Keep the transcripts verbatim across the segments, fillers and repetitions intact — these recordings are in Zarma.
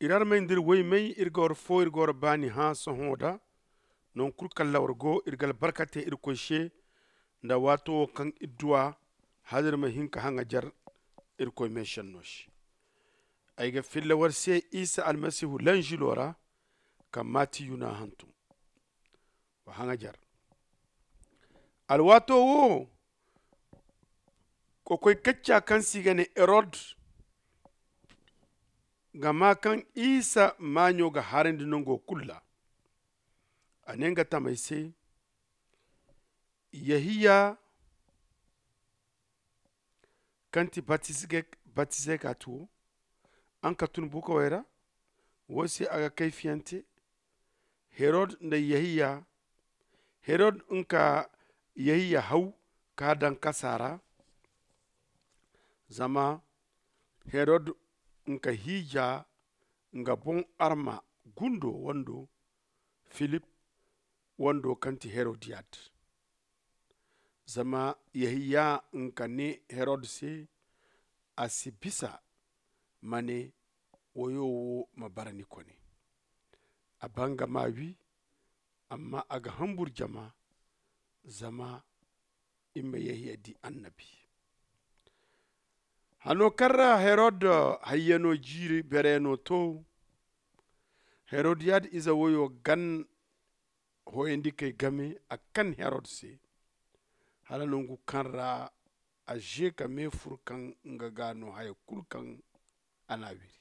Iri armey nda iri woymey, iri ga war fo, iri ga war baani hã sohõ da. Nangu kulu kaŋ ra war go, iri ga albarka te irkoy se nda waato wo kaŋ iri duw'a hala iri ma hin ka haŋajer irkoy meesenno se. Ay ga filla war se isa almasihu lanzilo ra, kaŋ maati yuna hantum. Wa haŋajer alwaato wo, kokoy kacca kaŋ se i ga ne herod ga maa kaŋ isa maaɲo ga harandi nango kulu ra. A ne nga tamey se, yehiya kaŋ ti batizeka ti wo, araŋ ka tun bukawey ra. Wo se a ga kayfiyante. Herod nda yehiya, herod nga ka yehiya haw ka daŋ kasa ra. Zama herod nga ka hiija nga boŋ arma gundo wando, filip wando kaŋ ti herodiyad. Zama yehiya nga ka ne herod se, a si bisa ma ne, woyo wo ma bara ni kone. A baa nga ma wi, amma a ga hambur jama zama i ma yehiya di annabi. Hano kaŋ ra herod hayyano jiiri bereyaŋo to, herodiyad ize woyo gan hoyandikey game a kan herod se, hala nangu kaŋ ra a ze ka me furu kaŋ nga ga no haya kulu kaŋ a n'a wiri.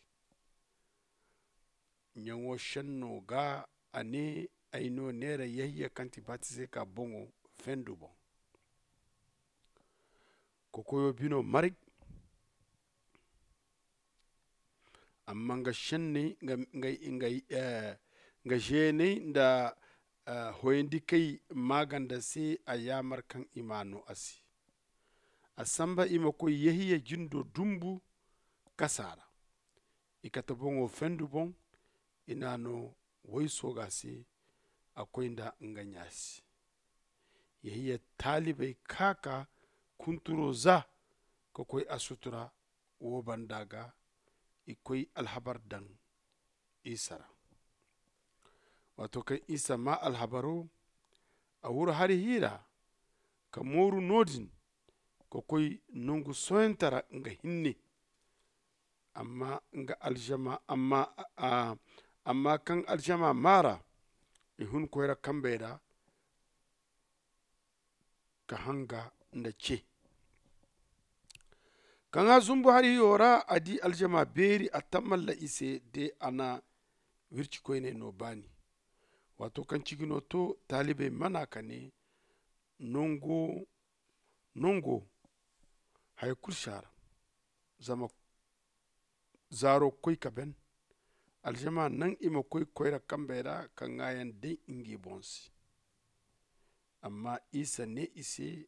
Ɲaŋo senno ga a ne, ay no neera yehiya kaŋ ti batizeka boŋo fendu boŋ. Kokoyo bino maray. Amma nga senney nga zeeney nda hoyandikey maaganda se a yaamar kaŋ i ma no a se. A samba i ma koy yehiya jindo dumbu kasa ra. I kate boŋo fendu boŋ. I n'a no woy sooga se. A koy nda nga ɲa se. Yehiya taalibey ka ka kunturo za ka koy a sutura. Wo banda ga i koy alhabar daŋ isa ra. Waato kaŋ isa maa alhabaro, a wuru hari hiira ka mooru no-din ka koy nangu sohãyante ra nga hinne. Amma nga alzama amma kaŋ alzama maa ra, i hun koyra kambey ra ka hanga nda ce. Kaŋ a zumbu hari hiyo ra a di alzama beeri a tammalla i se de a na wirci koyney no baani. Waato kaŋ cigino to taalibey mana ka ne, nongo haya kulu si a ra. Zama zaaro koy ka ben. Alzama naŋ i ma koy koyra kambey ra ka ŋaayaŋ day ngi boŋ se. Amma isa ne i se,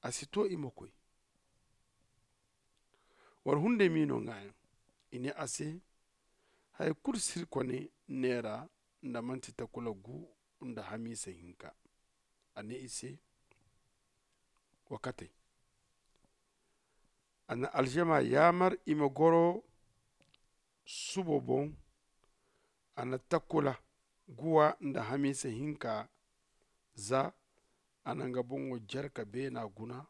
a si to i ma koy. War hunday m'i no ŋaayaŋ. I ne a se, haya kulu si iri kone neera nda manti takula gu nda hamiisa hinka. A ne i se, wa katey. A na alzama yaamar i ma goro subo boŋ. A na takula guwa nda hamiisa hinka za. A na nga boŋo jarka beena guna.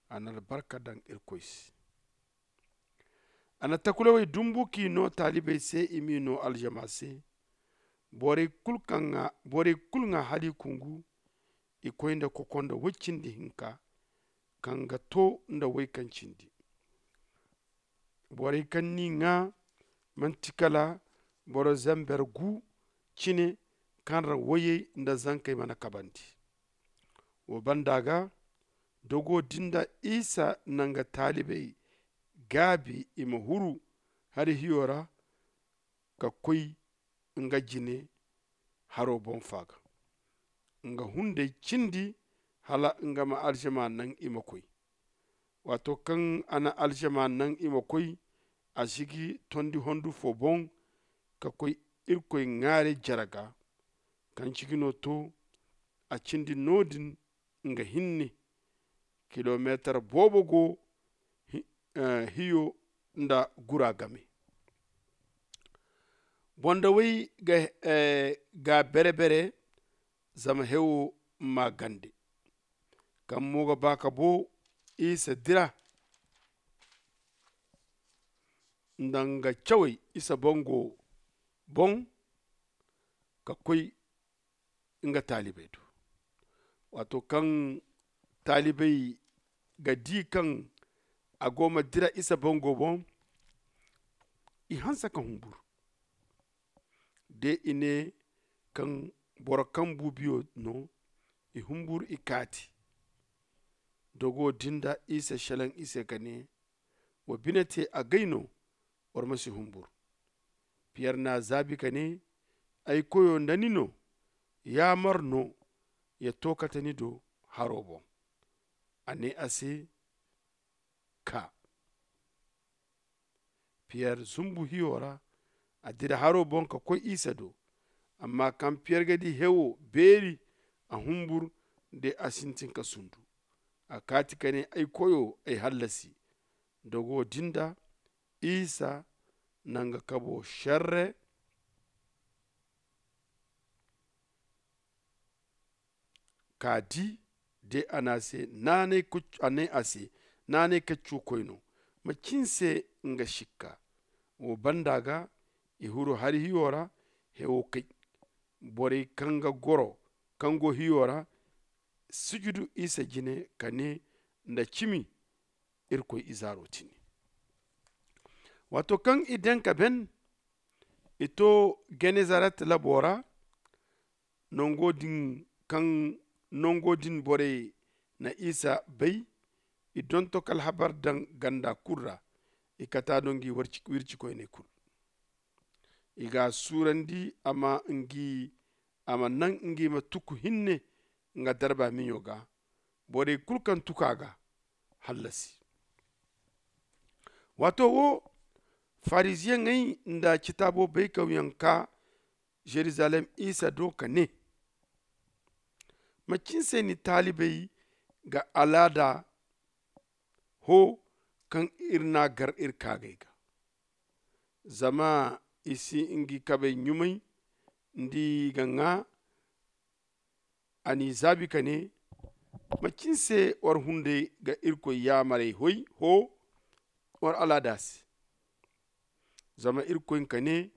A na albarka daŋ irkoy se. A na takulawey dumbu k'i no taalibey se i m'i no alzama se. Borey kulu ŋwa hali kungu. I koy nda kokonda woy cindi hinka kaŋ ga to nda woy kaŋ cindi. Borey kaŋ n'i ŋwa manti kala boro zamber gu cine kaŋ ra woyey nda zankey mana kabandi. Wo banda ga dogo din da isa na nga taalibey gaabi i ma huru hari hiyo ra ka koy nga jine haro boŋ faaga. Nga hunday cindi hala nga ma alzama naŋ i ma koy. Waato kaŋ a na alzama naŋ i ma koy, a sigi tondi hondu fo boŋ ka koy irkoy ŋwaaray jare ga. Kaŋ cigino to a cindi no-din nga hinne kilometar boobo go hiyo nda gura game. Bondawey ga bere-bere zama hewo ma gande. Kaŋ mo ga ba ka bo isa dira nda nga cawey isa bango boŋ ka koy nga taalibey do. Waato kaŋ taalibey ga di kaŋ a go ma dira isa bango boŋ, i hanse ka humbur. De i ne kaŋ boro kaŋ buubiyo no, i humbur i kaati. Dogo din da isa shelaŋ i se ka ne, wa bine te agay no, war ma si humbur. Piyer n'a zaabi ka ne, ay koyo nda ni no, yaamar no ya to kate ni do haro boŋ. A ne a se, kaa. Piyer zumbu hiyo ra, a dira haro boŋ ka koy isa do. Amma kaŋ piyer ga di hewo beeri, a humbur de a sintin ka sundu. A kaati ka ne, ay koyo, ay hallasi. Dogo din da isa na nga kabo sharre ka di de a ne a se, naanay kaccu koy no. Macin se nga shikka wo banda ga i huru hari hiyo ra. Hewo kay borey kaŋ ga goro kaŋ go hiyo ra sujudu isa jine ka ne nda cimi, irkoy izaaro tini. Waato kaŋ i daŋ ka ben, i to genezaret labo ra. Nango din kaŋ nango din borey na isa bay, i donto ka alhabar daŋ ganda kulu ra. I kata do ngi wirci koyney kulu. I ga a suurandi a ma naŋ ngi ma tuku hinne nga darba miɲo ga. Borey kulu kaŋ tuku a ga hallasi. Waato wo, fariziyeŋey nda citaabo baykawyaŋ kaa zerizalem isa do ka ne, macin se ni taalibey ga alaada hoo kaŋ iri n'a gar iri kaagey ga? Zama i si ngi kabey ɲumay nda i ga ŋaa. A n'i zaabi ka ne, macin se war hunday ga irkoy yaamarey hoy hoo war alaada se? Zama irkoy hinka ne,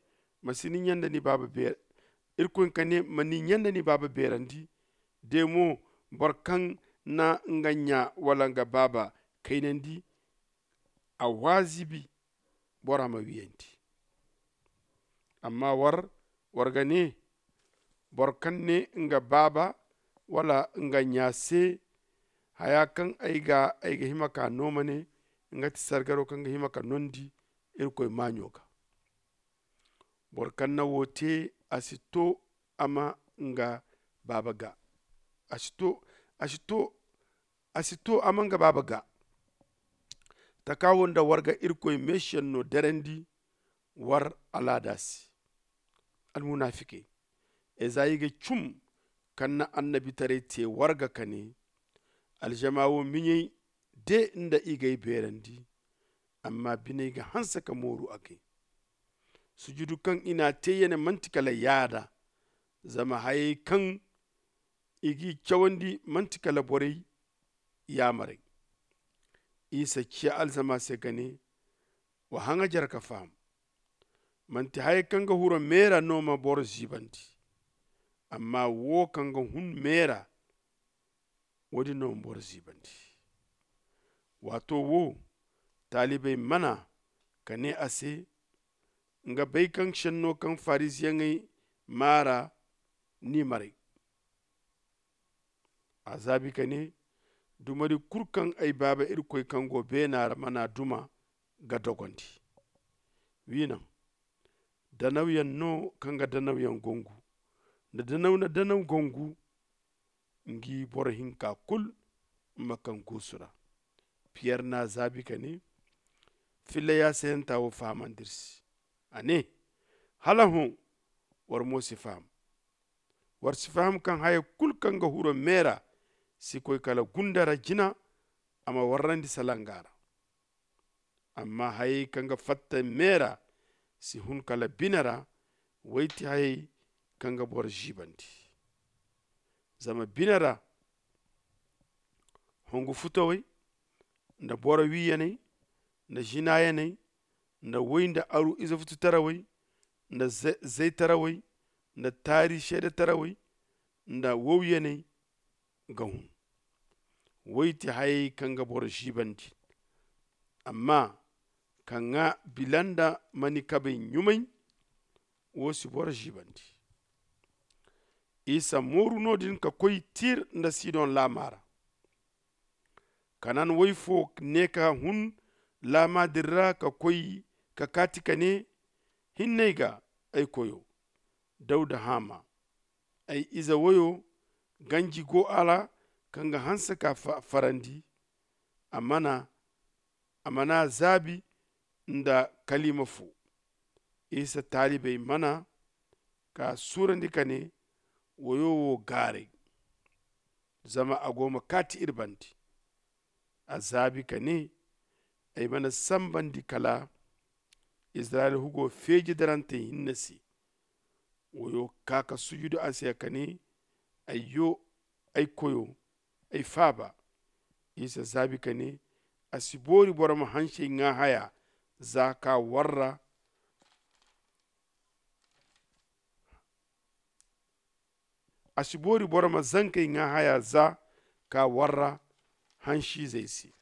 ma si ni ɲa nda ni baaba beerandi. Irkoy hinka ne, ma ni ɲa nda ni baaba beerandi. De mo, boro kaŋ na nga ɲa wala nga baaba kaynandi, a waazibi bora ma wiyandi. Amma war war ga ne, boro kaŋ ne nga baaba wala nga ɲa se, haya kaŋ ay ga ay ga hima ka no ma ne, nga ti sargaro kaŋ ga hima ka nondi irkoy maaɲo ga. Boro kaŋ na wo te, a si to a ma nga baaba ga. A si to a si to a ma nga baaba ga. Taka wo nda war ga irkoy meesiyaŋ no derandi war alaada se. Almunafikey, ezayi ga cum kaŋ na annabitaray te war ga ka ne, aljama wo miɲey de nda i g'ay beerandi. Amma biney ga hanse ka mooru a gay. Sujudu kaŋ i n'a te yane manti kala yaada. Zama hayey kaŋ i g'i cawandi manti kala borey yaamarey. Isa ciya alzama se ka ne, wa haŋajer ka faham. Manti hayey kaŋ ga huro meera no ma boro ziibandi. Amma wo kaŋ ga hun meera, wo- din no ma boro ziibandi. Waato wo, taalibey mana ka ne a se, nga bay kaŋ senno kaŋ fariziyeŋey maara n'i maray. A zaabi ka ne, dumari kulu kaŋ ay baaba irkoy kaŋ go beena ra mana duma ga dogondi. Wi naŋ, danawyaŋ no kaŋ ga danawyaŋ gongu, nda danaw na danaw gongu, ngi boro hinka kulu ma kaŋ guusu ra. Piyer n'a zaabi ka ne, filla yaasayanta wo fahamandi iri se. A ne, hala hõ, war mo si faham. War si faham kaŋ haya kulu kaŋ ga huro meera si koy kala gunda ra jina, a ma warrandi salanga ra. Amma hayey kaŋ ga fatta meera si hun kala bine ra, Woy ti hayey kaŋ ga boro ziibandi. Zama bine ra hongu futawey, nda boro wiiyaney, nda zinaayaney, nda woy nda aru ize fututarawey, nda zaytarawey, nda taari seedetarawey, nda wowyaney ga hun. Woy ti hayey kaŋ ga boro ziibandi. Amma ka ŋaa bila nda manikabey ɲumay, wo si boro ziibandi. Isa mooru no- din ka koy tir nda sidon laama ra. Kanan woy fo ne ka hun laama din ra ka koy ka kaati ka ne, hinne ay ga, ay koyo, dawda haama. Ay ize woyo, ganji go a ra kaŋ ga hanse ka farandi. A mana zaabi nda kaliima fo. Isa taalibey mana ka suurandi ka ne, woyo wo gaaray, zama a go ma kaati iri bande. A zaabi ka ne, ay mana sanbandi kala izirayel hugo feeji darantey hinne se. Woyo kaa ka sujudu a se ka ne, ayyo, ay koyo, ay faaba. Isa zaabi ka ne, a si boori boro ma hansey ŋaa haya za ka warra. A si boori boro ma zankey ŋaa haya za ka warra hansiizey se.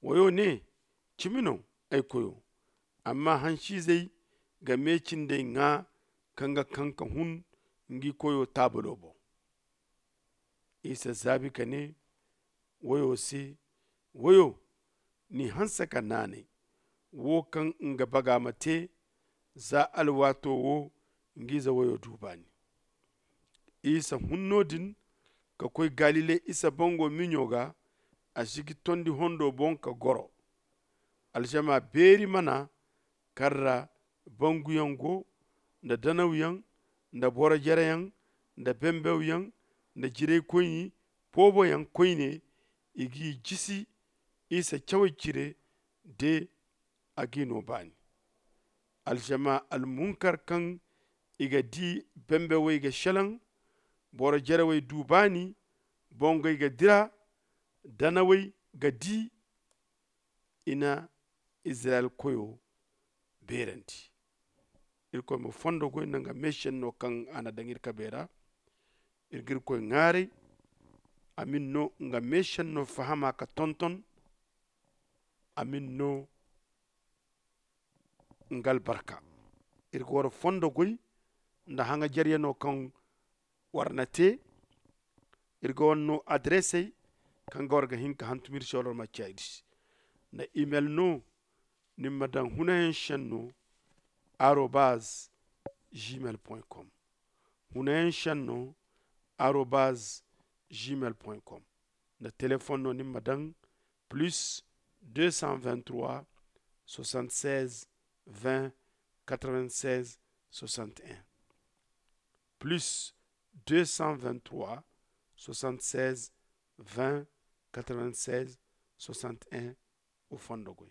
Woyo ne, cimi no, ay koyo. Amma hansiizey ga me cindey ŋaa kaŋ ga kaŋ ka hun ngi koyo taabalo boŋ. Isa zaabi ka ne woyo se, woyo, ni hanse ka naanay wo kaŋ nga baga ma te. Za alwaato wo nga ize woyo du baani. Isa hun no- din ka koy galile isa bango miɲo ga. A sigi tondi hondo boŋ ka goro. Alžama beeri mana kaŋ ra banguyaŋ go, nda danawyaŋ, nda boro-jereyaŋ, nda bembewyaŋ, nda jiraykoyni booboyaŋ koyne. I g'i jisi isa cawey cire de, a g'i no baani. Alžama almunkar kaŋ i ga di, bembewey ga selaŋ, boro-jerewey du baani, bongey ga dira, danawey ga di. I na izirayel koyo beerandi. Irkoy ma fondo goy nda nga meesenno kaŋ a na daŋ iri kabey ra. Iri ga irkoy ŋaaray a ma iri no nga meesenno fahama ka tonton. A ma iri no nga albarka. Iri ga war fondo goy nda haŋajeryano kaŋ war na te. Iri ga war no adresey kaŋ ga war ga hin ka hantum iri se wala war ma ciya iri se. Nda imel no ni ma daŋ hunayaŋ senno arobaz gmail point com. Hunayaŋ senno arobaz gmail point com. Nda telefon no ni ma daŋ plus deux cent vingt trois soixante seize vingt quatre vingt seize soixante un. Plus deux cent vingt trois soixante seize vingt quatre vingt seize soixante un. Wo fondo goy.